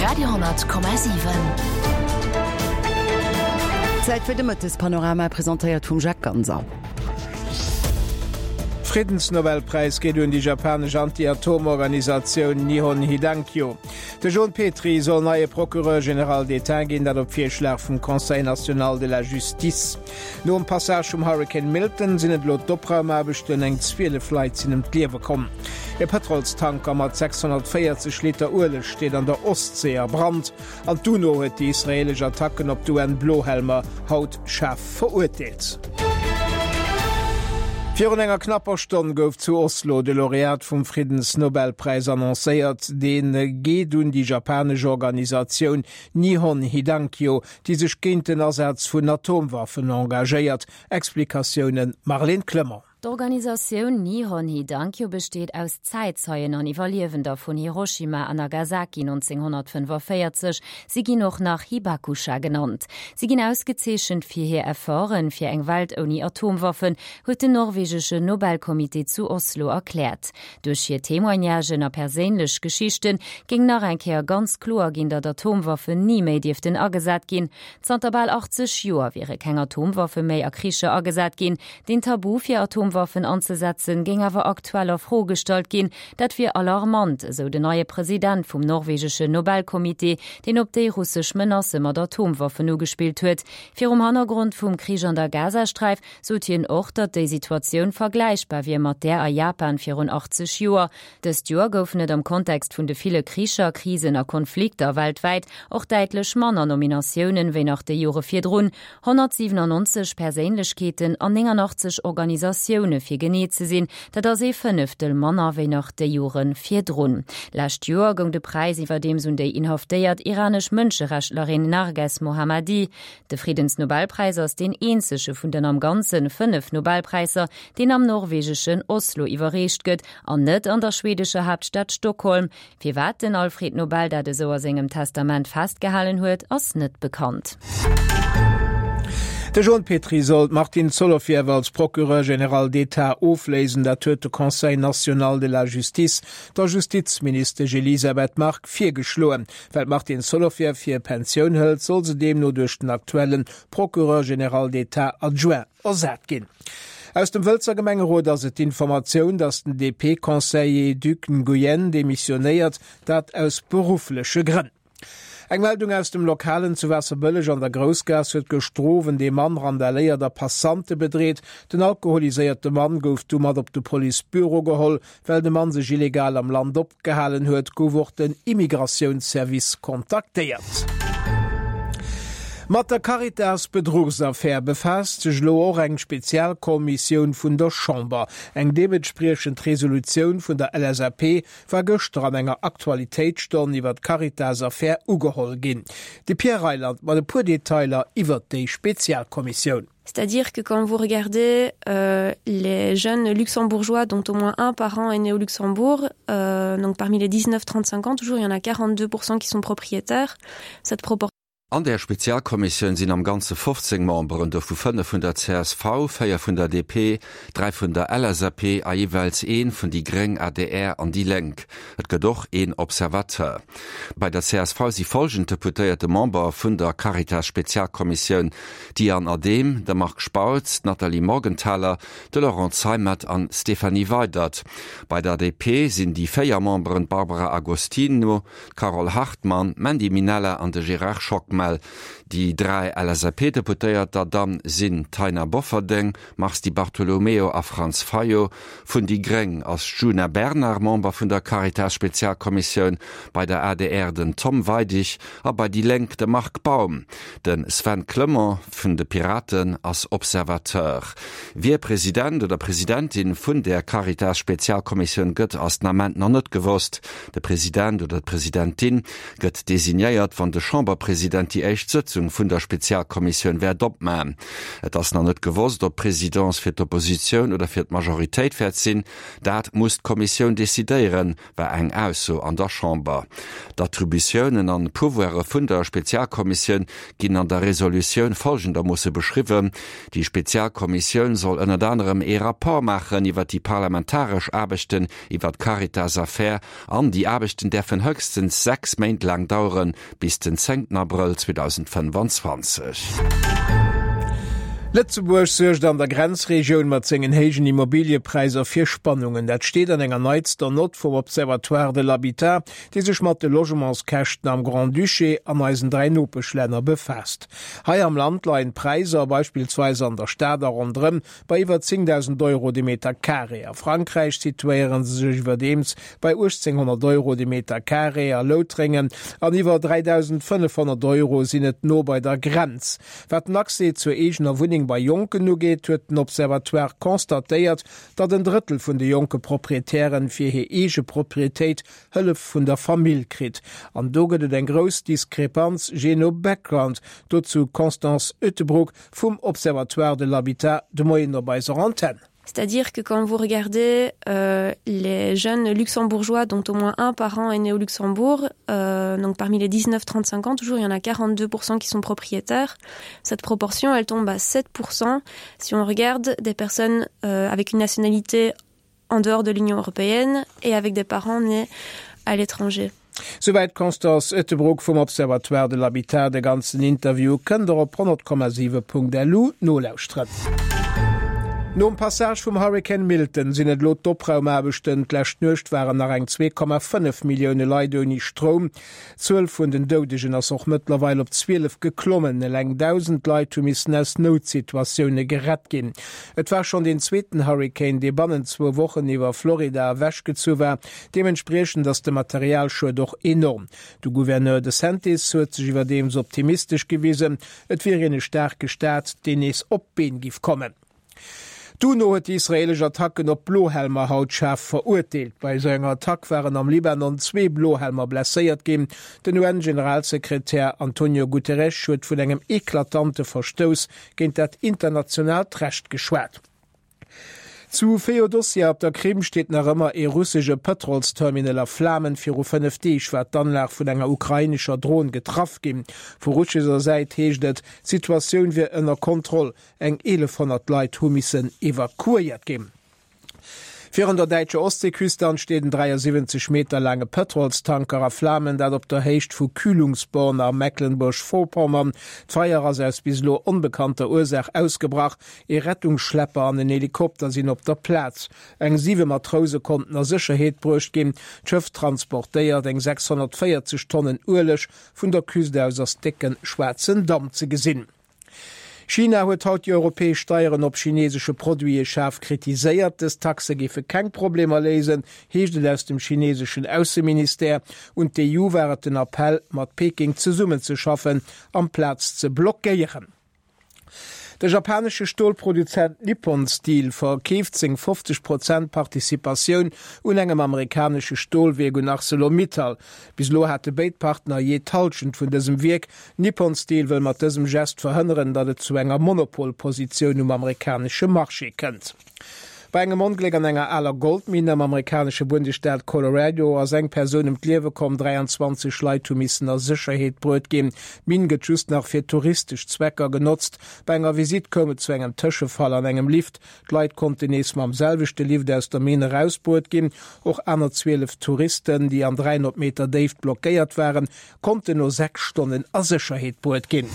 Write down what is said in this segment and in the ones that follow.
Radio,7. Zäit fir de Mëttespanorama, presentéiert vum Jacques Ganser. Friddensnobelpräis geet un déi japanesch Anti-Atom-Organisatioun Nihon Hidankyo. De Jon Petry soll neie Procureur général d'État ginn, dat op Virschlag vum Conseil national de la justice. Nom Passage vum Hurrikan Milton sinn et elo d'Opraumaarbechten, eng 12 Leit sinn ëm d'Liewe komm. E Pëtrolstanker mat 640 Liter Ueleg steet an der Ostsee a Brand an d'UNO huet déi israeelesch Attacken op d'UN-Blohelmer haut schaarf verurteelt. Virun enger knapper Stonn gouf zu Oslo de Laureat vum Friddensnobelpräis annoncéiert. Dee geet un déi japanesch Organisatioun Nihon Hidankyo, déi sech géint den Asaz vun Atomwaffen engagéiert. Explikatioune Marlène Clement. D'Organisatioun Nihon Hidankyo besteet aus Zäitzeien an Iwwerliewender vun Hiroshima a Nagasaki 1945. Si ginn och nach Hibakusha genannt. Si ginn ausgezeechent fir hir Efforten fir eng Welt ouni Atomwaffen, huet den norwegesche Nobelcomité zu Oslo erkläert. Duerch hir Témoignagen a perséinlech Geschichte géing nach eng Kéier ganz kloer ginn, datt Atomwaffen ni méi dierften agesat ginn. Zanter bal 80 Joer wiere keng Atomwaffe méi a Kricher agesat ginn. Den Tabu fir Atomwaffen anzesetzen, géing awer aktuell a Fro gestallt ginn. Dat wier alarmant, esou den neie President vum norwegeschen Nobelcomité, deen op déi russesch Menacë mat Atomwaffen ugespillt huet. Virum Hannergrond vum Krich an der Gazasträif sot hien och, datt déi Situatioun vergläichbar wier mat där a Japan virun 80 Joer. Dëst Joer goufen et am Kontext vun de ville Kricher, Krisen a Konflikter weltwäit och däitlech manner Nominatiounen, wéi nach déi Jore virdrun. 197 Perséinlechkeeten an 89 Organisatioune fir genee ze sinn, dat ass ee Fënneftel manner wéi nach déi Jore virdrun. Lescht Joer goung de Präis iwwerdeems un déi inhaftéiert iranesch Mënscherechtlerin Narges Mohammadi. De Friddensnobelpräis ass deen eenzege vun den am Ganze 5 Nobelpräisser, deen am norwegeschen Oslo iwwerreecht gëtt an net an der schwedescher Haaptstad Stockholm. Firwat den Alfred Nobel dat esou a sengem Testament festgehalen huet, ass net bekannt. De Jon Petry soll d'Martine Solovieff als Procureur général d'État ofléisen. Dat huet de Conseil national de la justice der Justizministesch Elisabeth Margue virgeschloen. Well d'Martine Solovieff hir Pensioun hëlt, soll se deemno duerch den aktuelle Procureur général d'État adjoint ersat ginn. Aus dem Wëlzer Gemengerot ass et d'Informatioun, datt den DP-Conseiller Duc Nguyen demissionéiert, dat aus beruffleche Grënn. Eng Meldung aus dem Lokalen zu Waasserbëlleg an der Groussgaass huet gëschter Owend ee Mann randaléiert a Passante bedreet. Den alkoholiséierte Mann gouf du mat op de Policebüro geholl. Well de Mann sech illegal am Land opgehalen huet, gouf och den Immigratiounsservice kontaktéiert. Mat der Caritas-Bedruchsaffär befaasst sech elo och eng Spezialkommissioun vun der Chamber. Eng deementspriechend Resolutioun vun der LSAP war gëschter an enger Aktualitéitsstonn iwwer d'Caritas-Affär ugeholl ginn. De Pierre Reyland mat e puer Detailer iwwert déi Spezialkommissioun. C'est-à-dire que quand vous regardez euh, les jeunes luxembourgeois dont au moins un parent est né au Luxembourg, euh, donc parmi les 19-35 ans, toujours il y en a 42% qui sont propriétaires. Cette proportion An där Spezialkommissioun sinn am Ganze 15 Memberen, dovu 5 vun der csv, 4 vun der DP, 3 vun der LSAP a jeeweils ee vun déi gréng, adr an déi Lénk. Et gëtt och een Observateur. Bei der csv si folgend Deputéierte Member vun der Caritas-Spezialkommissioun, D'Diane Adehm, de Marc Spautz, d'Nathalie Morgenthaler, de Laurent Zeimet an d'Stéphanie Weydert. Bei der DP sinn déi 4 Memberen d'Barbara Agostino, d'Carole Hartmann, d'Mandy Minella an de Gérard Schockmel. Déi 3 LSAP-Deputéierter dann sinn d'Taina Bofferding, Mars Di Bartolomeo a Franz Fayot. Vun déi gréng ass d'Djuna Bernard Member vun der Caritas-Spezialkommissioun, bei der adr den Tom Weidig a bei déi Lénk de Marc Baum. De Sven Clement vun de Piraten ass Observateur. Wie President oder Presidentin vun där Caritas-Spezialkommissioun gëtt, ass den Ament nach net gewosst. De President oder d'Presidentin gëtt designéiert, wann de Chamberpresident déi. déi éischt Sëtzung vun der Spezialkommissioun wäert opmaen. Et ass nach net gewosst, ob d'Presidence fir d'Oppositioun oder fir d'Majoritéit wäert sinn. Dat muss d'Kommissioun decidéieren, war eng Ausso an der Chamber. D'Attributiounen an Pouvoire vun der Spezialkommissioun ginn an der Resolutioun folgendermoosse beschriwwen, Déi Spezialkommissioun soll ënnert anerem ee Rapport maachen iwwer déi parlamentaresch Aarbechten iwwer d'Caritas-Affär an déi Aarbechten däerfen höchstens 6 Méint laang daueren, bis den zéngten Abrëll 2025. Lëtzebuerg suergt an der Grenzregioun mat sengen héijen Immobiliëpräisser fir Spannungen. Dat steet an enger neitster Nott vum Observatoire de l'habitat, dee sech mat de Logementskäschten am Grand-Duché an eisen 3 Nopeschlänner befaasst. Hei am Land leien d'Präisser, beispillsweis an der Stad a ronderëm, bei iwwer 10.000 Euro de Meter carré. A Frankräich situéiere se sech iwwerdeems bei 1.800 Euro de Meter carré a Loutrengen an iwwer 3.500 Euro sinn et no bei der Grenz. Wat den Accès zur eegener Wunneng bei Jonken ugeet, huet den Observatoire constatéiert, datt en Drëttel vun de jonke Proprietären fir hir eege Proprietéit Hëllef vun der Famill kritt. An do gëtt et eng grouss Diskrepanz jee no Background. Dozou d'Constance Uyttebroeck vum Observatoire de l'habitat de Moien op eiser Antenn. C'est-à-dire que quand vous regardez euh, les jeunes luxembourgeois dont au moins un parent est né au Luxembourg, euh, donc parmi les 19-35 ans, toujours il y en a 42% qui sont propriétaires. Cette proportion, elle tombe à 7% si on regarde des personnes euh, avec une nationalité en dehors de l'Union européenne et avec des parents nés à l'étranger. Souwäit d'Constance Ettelbruck vum Observatoire de l'habitat. De ganzen Interview kënnt der op 100,7.lu nolauschteren. Nom Passage vum Hurrikan Milton sinn et elo d'Opraumaarbechten. D'lescht Nuecht waren nach eng 2,5 Millioune Leit ouni Stroum. D'Zuel vun den Doudegen ass och mëttlerweil op 12 geklommen. Eleng 1.000 Leit hu missen aus Noutsituatioune gerett ginn. Et war schonn deen zweeten Hurrikan, dee bannent zwou Wochen iwwer Florida ewechgezu war. Deementspriechend ass de Materialschued och enorm. De Gouverneur DeSantis huet sech iwwerdeems optimistesch gewisen, et wier een e staarke Staat, deen nees op d'Been giff kommen. D'UNO huet déi israeelesch Attacken op Blohelmer haut schaarf verurteelt. Bei esou enger Attack waren am Libanon zwee Blohelmer blesséiert ginn. Den UN-Generalsekretär Antonio Guterres huet vun engem eklatante Verstouss géint dat internationaalt Recht geschwat. Zu Feodossija op der Krim steet nach ëmmer ee russesche Pëtrolsterminal a Flamen. Viru 5 Deeg war d'Anlag vun enger ukrainescher Dron getraff ginn. Vu russescher Säit heescht et, d'Situatioun wier ënner Kontroll. Eng 1.100 Leit hu missen evakuéiert ginn. Virun der däitscher Ostseeküste an steet en 73 Meter laange Pëtrolstanker a Flamen, dat op der Héicht vu Kühlungsborn a Mecklenburg-Vorpommern. D'Feier ass aus bis elo onbekannter Ursaach ausgebrach. Ee Rettungsschlepper an en Helikopter sinn op der Plaz. Eng 7 Matrouse konnten a Sécherheet bruecht ginn. D'Schëff transportéiert eng 640 Tonnen Ueleg. Vun der Küst aus ass décke schwaarzen Damp ze gesinn. China huet haut déi europäesch Steieren op chinesesche Produite schaarf kritiséiert. Dës Taxe géife keng Problemer léisen, heescht et aus dem chineseschen Ausseministère. Un d'EU war et den Appell, mat Peking zesummenzeschaffen, amplaz ze blockéieren. De japanesche Stolproduzent Nippon Steel verkeeft seng 50 Prozent Participatioun un engem amerikanesche Stolwierk un Arcelor-Mittal. Bis elo hate béid Partner jee d'Hallschent vun dësem Wierk. Nippon Steel wëll mat dësem Gest verhënneren, datt et zu enger Monopolpositioun um amerikanesche Marché kënnt. Bei engem Ongléck an enger aler Goldminn am amerikanesche Bundesstaat Colorado ass eng Persoun ëm d'Liewe komm, 23 Leit hu missen a Sécherheet bruet ginn. D'Minn gëtt just nach fir touristesch Zwecker genotzt. Bei enger Visitt koum et zu engem Tëschefall an engem Lift. D'Leit konnten nees mam selwechte Lift aus der Minn erausbruet ginn. Och aner 12 Touristen, déi an 300 Meter Déift blockéiert waren, konnten no 6 Stonnen a Sécherheet bruet ginn.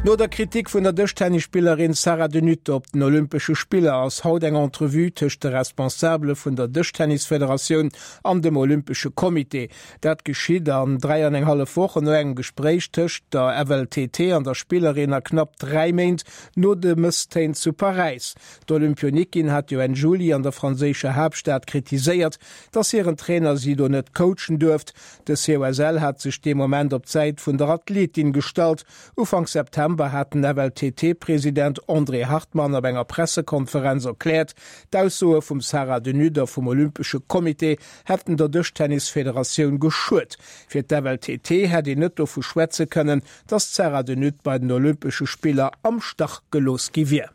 No der Kritik vun der Dëschtennisspillerin Sarah De Nutte op den Olympesche Spiller ass haut eng Entrevue tëscht de Responsabele vun der Dëschtennisfederatioun an dem Olympesche Comité. Dat geschitt an 3 an eng hallef Wochen no engem Gespréich tëscht der FLTT an der Spillerin a knapp 3 Méint no de Mësstéin zu Paräis. D'Olympionikin hat jo Enn Juli an der franséischer Haaptstad kritiséiert, dass hiren Trainer si do net coachen duerft. De COSL hat sech dee Moment op d'Säit vun der Athletin gestallt. Ufank September. November hat den FLTT-President André Hartmann op enger Pressekonferenz erkläert, d'Aussoe vum Sarah De Nutte a vum Olympesche Comité hätten der Dëschtennisfederatioun geschuet. Fir d'FLTT hätt een net dovu schwätze kënnen, datt d'Sarah De Nutte bei den Olympesche Spiller am Stach gelooss gi wier.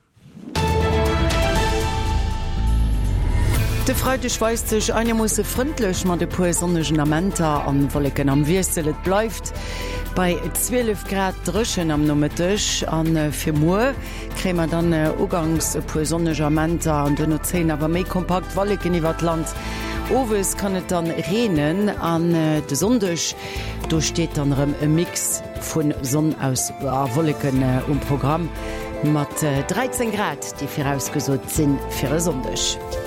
De Freideg weist sech einermoosse frëndlech mat e puer sonnegen Amenter an Wolleken am Wiessel. Et bleift bei 12 Grad dréchen am Nomëtteg an fir muer kréie mer dann uganks e puer sonneg Amenter an duerno zéien awer méi kompakt Wolleken iwwert d'Land. Owes kann et dann reenen an de Sonndeg do steet dann erëm e Mix vu Sonn aus a Wolleken um Programm. Mat 13 Grad, déi virausgesot si fir e Sonndeg.